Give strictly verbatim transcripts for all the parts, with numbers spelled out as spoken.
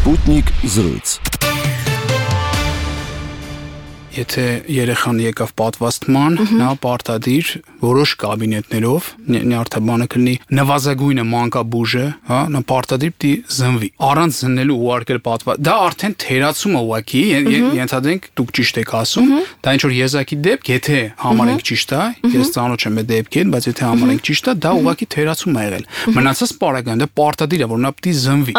Sputnik զրույց։ Եթե երեխան եկավ պատվաստման, նա պարտադիր որոշ կաբինետներով նյարդաբանը կլինի նվազագույնը մանկաբուժը, հա, նա պարտադիր պիտի զնվի։ Առանց զննելու ուղարկել պատվաստ։ Դա արդեն թերացում է ուղակի, ենթադրենք դուք ճիշտ եք ասում, դա ինչ որ եզակի դեպք, եթե համարենք ճիշտ է, ես ծանոթ չեմ այդ դեպքին, բայց եթե համարենք ճիշտ է, դա ուղակի թերացում է եղել։ Մնացած պարագան դա պարտադիր է, որ նա պիտի զնվի։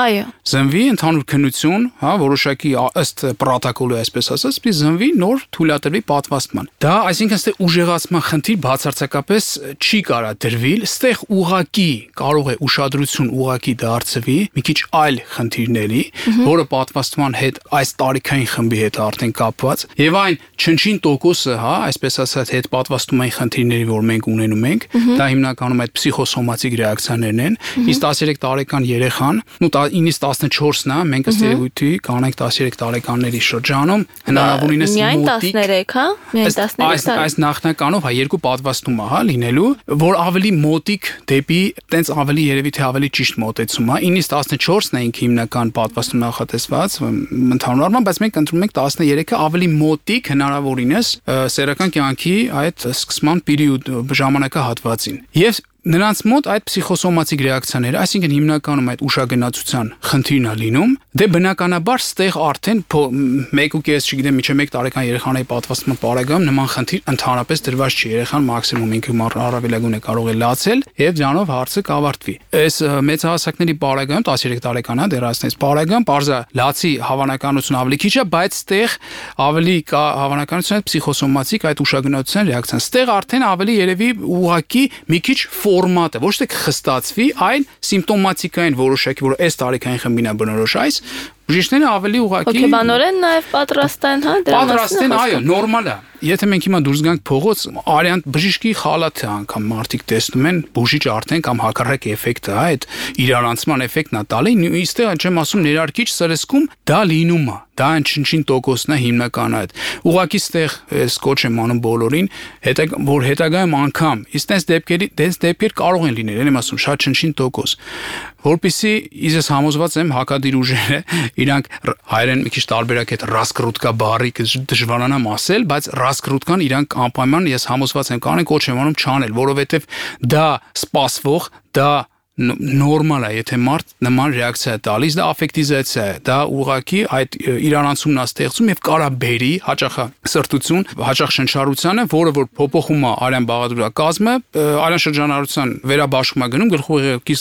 Զնվի ընդհանուր քննություն, հա, որոշակի ըստ պրոտոկոլի, այսպես ասած, պիտի զնվի նոր թույլատրվի պատվաստման։ Դա, այսինքն, ստե ուժեղացման խնդիր բացարձակապես չի կարա դրվի, ստեղ ուղակի կարող է ուշադրություն ուղակի դարձվի մի քիչ այլ խնդիրների, որը պատվաստման հետ այս տարիքային խմբի հետ արդեն կապված, եւ այն չնչին տոկոսը, հա, այսպես ասած, հետ պատվաստումային խնդիրների, որ մենք ունենում ենք, դա հիմնականում այդ պսիխոսոմատիկ ռեակցիաներն են, իսկ տասներեք տարեկան երեխան, ու ինից տասնչորսն է, մենք ըստ երևույթի կանենք տասներեք տարեկանների շրջանում, հնարավորինս տասներեք, հա? Միայն տասներեք տարի։ Այս նախնականով, հա, երկու պատվաստում է, հա, լինելու, որ ավելի մոտիկ դեպի, տենց ավելի երևի թե ավելի ճիշտ մոտեցում է։ ինից տասնչորսն է ինքը հիմնական պատվաստում նախատեսված, ընդհանուր առմամբ, բայց մենք ընտրում ենք տասներեքը ավելի մոտիկ հնարավորինս սեռական կյանքի այդ սկսման պերիոդ ժամանակահատվածին։ Եվ նրանց մոտ այդ պսիխոսոմատիկ ռեակցիաները, այսինքն հիմնականում այդ ուշագնացության խնդիրն է լինում, դե բնականաբար ստեղ արդեն մեկ ու կես, չգիտեմ, միջև մեկ տարեկան երեխաների պատվաստման պարագայում նման խնդիր ընդհանրապես դրված չի, երեխան մաքսիմում ինքը առավելագույնը կարող է լացել եւ դրանով հարցը կավարտվի։ Այս մեծ հասակների պարագայում տասներեք տարեկան է դեռ այսպես պարագայում բարձա լացի հավանականություն ավելի քիչ է, բայց ստեղ ավելի կա հավանականություն այդ պսիխոսոմատիկ այդ ուշագնացության ռեակցիան։ Ստեղ արդեն ավելի երևի ուղակի մի քիչ ֆորմատը ոչ թե կխստացվի, այլ սիմպտոմատիկային որոշակի, որ այս տարիքային խմբին է բնորոշ այս, բժիշկները ավելի ուղղակի հոգեբանորեն նաև պատրաստ են, հա, դրա մասին։ Պատրաստ են, այո, նորմալ է։ Եթե մենք հիմա դուրս գանք փողոց, արյան բժիշկի խալաթը անգամ մարդիկ տեսնում են, բուժիչ արդեն կամ հակառակ էֆեկտը, հա, այդ իրարանցման էֆեկտն է տալի, իստեղ չեմ ասում ներարկիչ սրսկում, դա լինում է։ Դա ինչ-ինչ տոկոսն է հիմնական այդ։ Ուղղակի ստեղ ես կոչ եմ անում բոլորին, հետա որ հետագայում անգամ, իսկ տես դեպքերի, տես դեպքեր կարող են լինել, եմ ասում, շատ ինչ-ինչ տոկոս։ Որպեսզի ես համոզված եմ հակադիր ուժերը իրանք հայերեն մի քիչ տարբերակ այդ ռասկրուտկա բառի դժվարանամ ասել, բայց ռասկրուտկան իրանք անպայման ես համոզված եմ կանեն կոչ եմ անում չանել, որովհետև դա սպասվող, դա նորմալ է, եթե մարդ նման ռեակցիա է տալիս, դա աֆեկտիզացիա է, դա ուղղակի այդ իրանացումն է ստեղծում եւ կարա բերի հաճախ սրտություն, հաճախ շնչառությանը, որը որ փոփոխում է արյան բաղադրակազմը, արյան շրջանառության վերաբաշխում է գնում, գլխուղեղի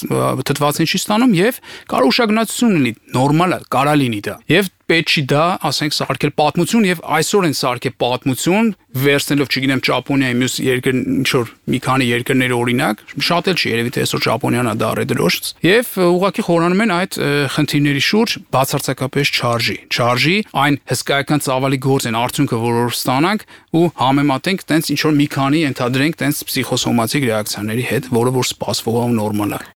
թթվածին չի ստանում եւ կարա ուշագնացություն լինի, նորմալ է, կարա լինի դա։ Եվ պետք չի դա, ասենք, սարքել պատմություն եւ այսօր են սարքել պատմություն, վերցնելով, չգիտեմ, Ճապոնիայի մյուս երկր ինչ որ մի քանի երկրների օրինակ, շատ էլ չի երևի թե այսօր Ճապոնիան է դա ռեդրոշ, եւ ուղղակի խորանում են այդ խնդիրների շուրջ բացարձակապես չարժի, չարժի այն հսկայական ծավալի գործ են արդյունքը, որ ստանանք ու համեմատենք տենց ինչ որ մի քանի ընդհանրենք տենց պսիխոսոմատիկ ռեակցիաների հետ, որը որ սպասվող ու նորմալ է։